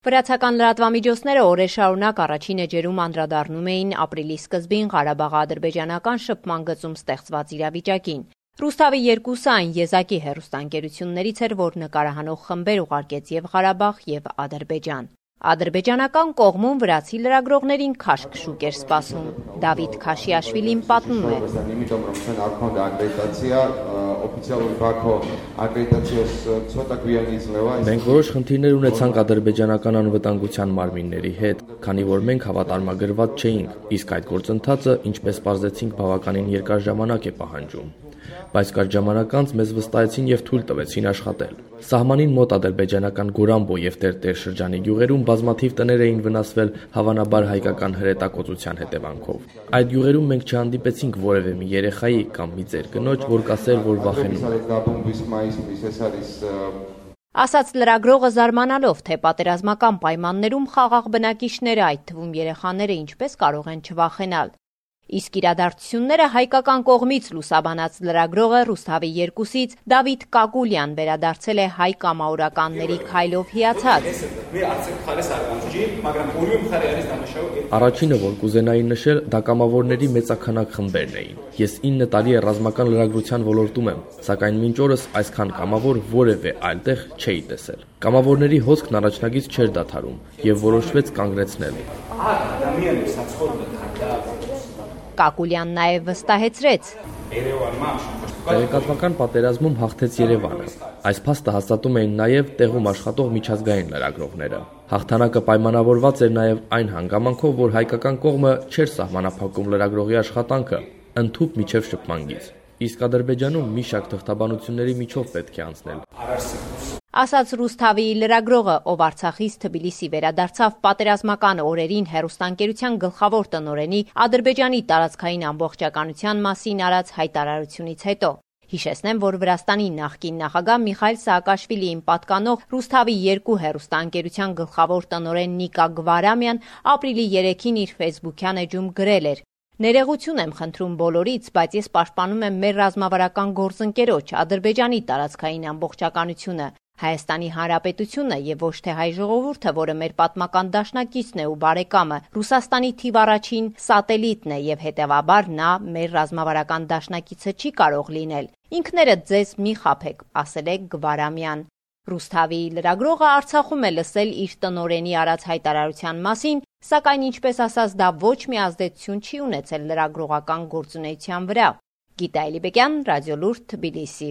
Վրացական լրատվամիջոցները օրեր շարունակ առաջին էջերում անդրադառնում էին ապրիլի սկզբին Ղարաբաղ-ադրբեջանական շփման գծում ստեղծված իրավիճակին։ Ռուսթավի 2-ը այն եզակի հեռուստաընկերություններից էր, որ նկարահանող խմբեր ուղարկեց և Ղարաբաղ, և Ադրբեջան։ Ադրբեջանական կողմում վրացի լրագրողներին քաշք շուկ էր սպասում։ Դավիթ Քաշիաշվիլին պատմում է. Մենք որոշ խնդիրներ ունեցանք ադրբեջանական անվտանգության մարմինների հետ, քանի որ մենք հավատարմագրված չէինք, իսկ այդ գործընթացը, ինչպես պարզեցինք, բավականին երկար ժամանակ է պահանջում։ Բայց կարճ ժամանակ անց մեզ վստահեցին և թույլ տվեցին աշխատել։ Սահմանին մոտ ադրբեջանական Գորամբո և Տերտեր շրջանի գյուղերում բազմաթիվ տներ էին վնասվել, հավանաբար հայկական հրետակոծության հետևանքով։ Այդ գյուղերում մենք չհանդիպեցինք որևէ մի երեխայի կամ մի ծեր կնոջ, որ կասեր, որ վախենում է։ Ասաց լրագրողը զարմանալով, թե պատերազմական պայմաններում խաղաղ բնակիչները, այդ թվում երեխաները, ինչպես կարող են չվախենալ։ Իսկ իրադարձությունները հայկական կողմից լուսաբանած լրագրողը Ռուսթավի 2-ից Դավիթ Կակուլյան վերադարձել է հայ կամավորականների քայլով հիացած։ Առաջինը, որ կուզենայի նշել, դա կամավորների մեծաքանակ խմբերն էին։ Ես 9 տարի է ռազմական լրագրության ոլորտում եմ, սակայն մինչ օրս այսքան կամավոր որևէ այլտեղ չէի տեսել։ Կամավորների հոսքն առաջնագից չէր դադարում և որոշվեց կանգնեցնել։ Կակուլյանն նաև վստահեցրեց. Տեղեկատվական պատերազմում հաղթեց Երևանը։ Այս փաստը հաստատում էին նաև տեղում աշխատող միջազգային լրագրողները։ Հաղթանակը պայմանավորված էր նաև այն հանգամանքով, որ հայկական կողմը չէր սահմանափակում լրագրողի աշխատանքը, ընդհուպ մինչև շփման գիծ։ Իսկ Ադրբեջանում մի շարք թղթաբանությունների միջով պետք է անցնել։ Ասաց Ռուսթավի լրագրողը, ով Արցախից Թբիլիսի վերադարձավ պատերազմական օրերին հեռուստաընկերության գլխավոր տնօրենի Ադրբեջանի տարածքային ամբողջականության մասին արած հայտարարությունից հետո։ Հիշեցնեմ, որ Վրաստանի նախկին նախագահ Միխայիլ Սաակաշվիլիին պատկանող Ռուսթավի 2 հեռուստաընկերության գլխավոր տնօրեն Նիկա Գվարամյան ապրիլի 3-ին իր ֆեյսբուքյան էջում գրել էր. «Ներողություն եմ խնդրում բոլորից, բայց ես պաշտպանում եմ մեր ռազմավարական գործընկերոջ Ադրբեջանի տարածքային ամբողջականությունը, Հայաստանի Հանրապետությունը և ոչ թե հայ ժողովուրդը, որը մեր պատմական դաշնակիցն է ու բարեկամը, Ռուսաստանի թիվ առաջին սատելիտն է և հետևաբար նա մեր ռազմավարական դաշնակիցը չի կարող լինել։ Ինքներդ ձեզ մի խաբեք», ասել է Գվարամյան։ Ռուսթավի լրագրողը Արցախում է լսել իր տնօրենի արած հայտարարության մասին, սակայն ինչպես ասաց, դա ոչ մի ազդեցություն չի ունեցել լրագրողական գործունեության վրա։ Գիտա Էլիբեկյան, Ռադիոլուրդ, Թբիլիսի։